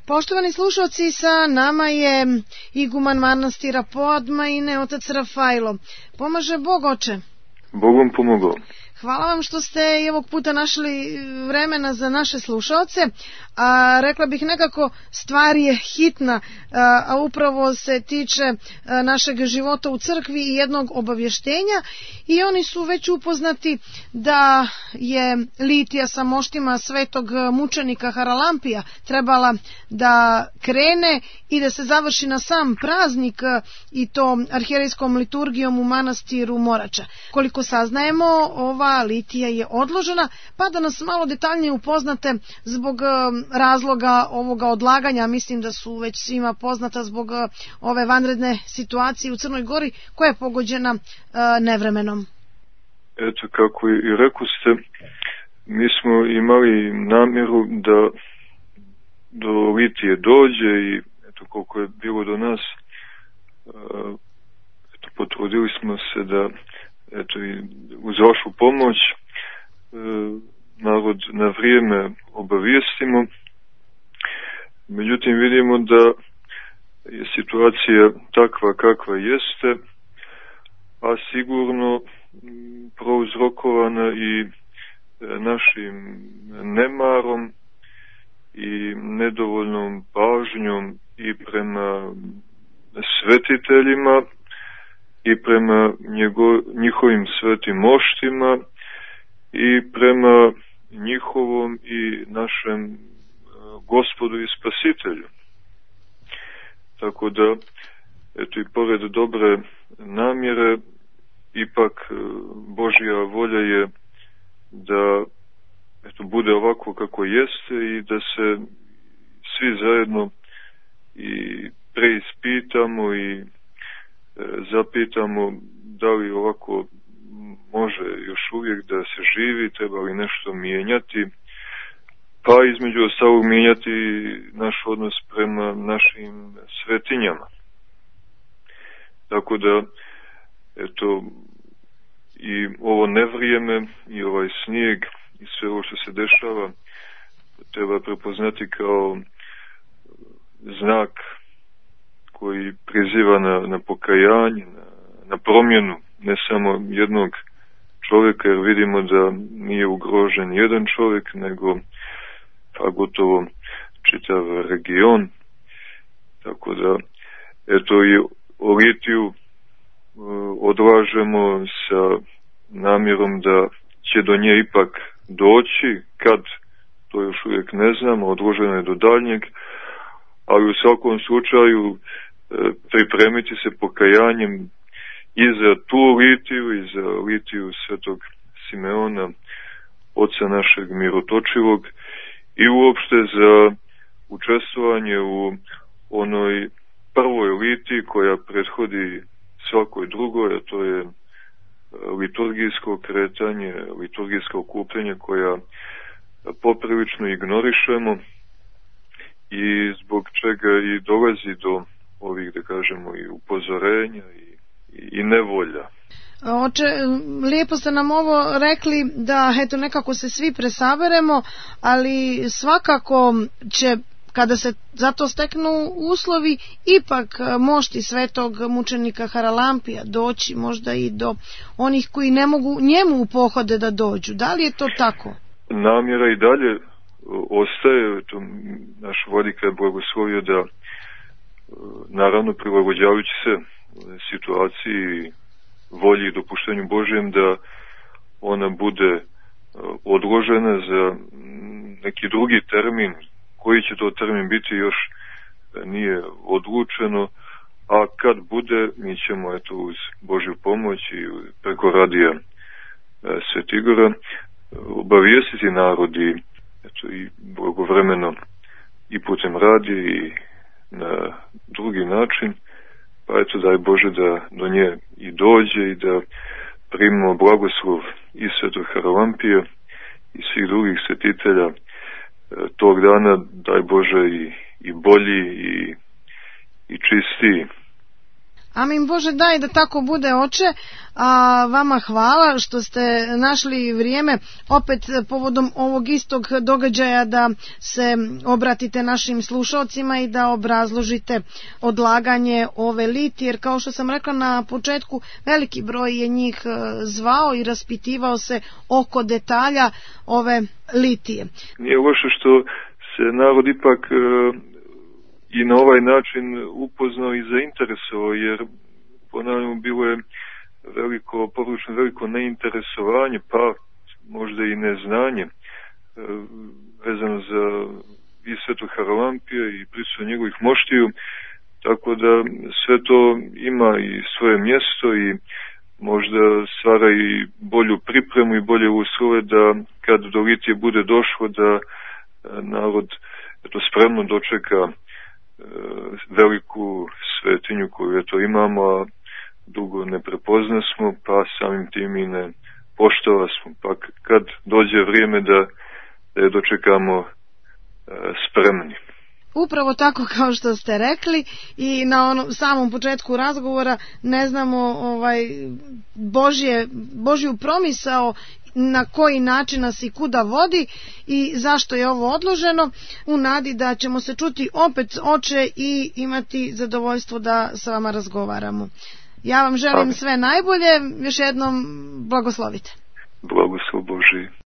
Poštovani slušalci, sa nama je iguman manastira Podmajine, otac Rafajlo. Pomaže Bog, oče? Bog vam pomogao. Hvala vam što ste i ovog puta našli vremena za naše slušalce. Rekla bih nekako, stvar je hitna, a upravo se tiče našeg života u crkvi i jednog obavještenja, i oni su već upoznati da je litija sa moštima svetog mučenika Haralampija trebala da krene i da se završi na sam praznik, i to arhijerejskom liturgijom u manastiru Morača. Koliko saznajemo, ova litija je odložena, pa da nas malo detaljnije upoznate zbog razloga ovoga odlaganja. Mislim da su već svima poznata zbog ove vanredne situacije u Crnoj Gori, koja je pogođena nevremenom. Eto, kako i rekoste, mi smo imali namjeru da do litije dođe i eto, koliko je bilo do nas, eto, potrudili smo se da eto, i uz vašu pomoć narod na vrijeme obavijestimo. Međutim, vidimo da je situacija takva kakva jeste, a sigurno prouzrokovana i našim nemarom i nedovoljnom pažnjom i prema svetiteljima i prema njihovim svetim moštima i prema njihovom i našem Gospodu i Spasitelju. Tako da, eto, i pored dobre namjere, ipak Božja volja je da eto, bude ovako kako jeste i da se svi zajedno i preispitamo i zapitamo da li ovako može još uvijek da se živi, treba li nešto mijenjati, pa između ostalog mijenjati naš odnos prema našim svetinjama. Tako da, eto, i ovo nevrijeme i ovaj snijeg i sve ovo što se dešava treba prepoznati kao znak koji priziva na pokajanje, na promjenu ne samo jednog čovjeka, jer vidimo da nije ugrožen jedan čovjek, nego pa gotovo čitav region. Tako da, eto, i o litiju odlažemo sa namjerom da će do nje ipak doći, kad, to još uvijek ne znamo, odloženo je do daljnjeg, ali u svakom slučaju pripremiti se pokajanjem i za tu litiju i za litiju svetog Simeona, oca našeg mirotočivog, i uopšte za učestvovanje u onoj prvoj litiji koja prethodi svakoj drugoj, a to je liturgijsko kretanje, liturgijsko okupljenje koja poprilično ignorišemo i zbog čega i dolazi do ovih, da kažemo, i upozorenja i nevolja. Oče, lijepo ste nam ovo rekli, da eto nekako se svi presaberemo, ali svakako će, kada se za to steknu uslovi, ipak mošti svetog mučenika Haralampija doći možda i do onih koji ne mogu njemu u pohode da dođu. Da li je to tako? Namjera i dalje ostaje, to naš vladika je blagoslovio da, naravno prilagođavajući se situaciji, volji i dopuštenju Božjem, da ona bude odložena za neki drugi termin. Koji će to termin biti još nije odlučeno, a kad bude, mi ćemo eto uz Božju pomoć i preko radija Svetigora obavijestiti narodi, eto, i blagovremeno i putem radija i na drugi način, pa eto daj Bože da do nje i dođe i da primimo blagoslov i svetog Haralampija i svih drugih svetitelja tog dana, daj Bože i bolji i čistiji. Amin Bože, daj da tako bude, oče. A vama hvala što ste našli vrijeme opet povodom ovog istog događaja da se obratite našim slušalcima i da obrazložite odlaganje ove litije, jer kao što sam rekla na početku, veliki broj je njih zvao i raspitivao se oko detalja ove litije. Nije loše što se narod ipak i na ovaj način upoznao i zainteresovao, jer ponavljamo bilo je površno veliko neinteresovanje, pa možda i neznanje vezano za i Svetog Haralampija i prisustvo njegovih moštiju, tako da sve to ima i svoje mjesto i možda stvara i bolju pripremu i bolje uslove da kad do litije bude došlo da narod spremno dočeka veliku svetinju koju imamo, a dugo ne prepoznasmo, pa samim tim i ne poštovasmo, pa kad dođe vrijeme da je dočekamo spremni. Upravo tako kao što ste rekli i na samom početku razgovora ne znamo Božju promisao na koji način nas i kuda vodi i zašto je ovo odloženo, u nadi da ćemo se čuti opet, oče, i imati zadovoljstvo da sa vama razgovaramo. Ja vam želim sve najbolje, još jednom blagoslovite. Blagoslov Božji.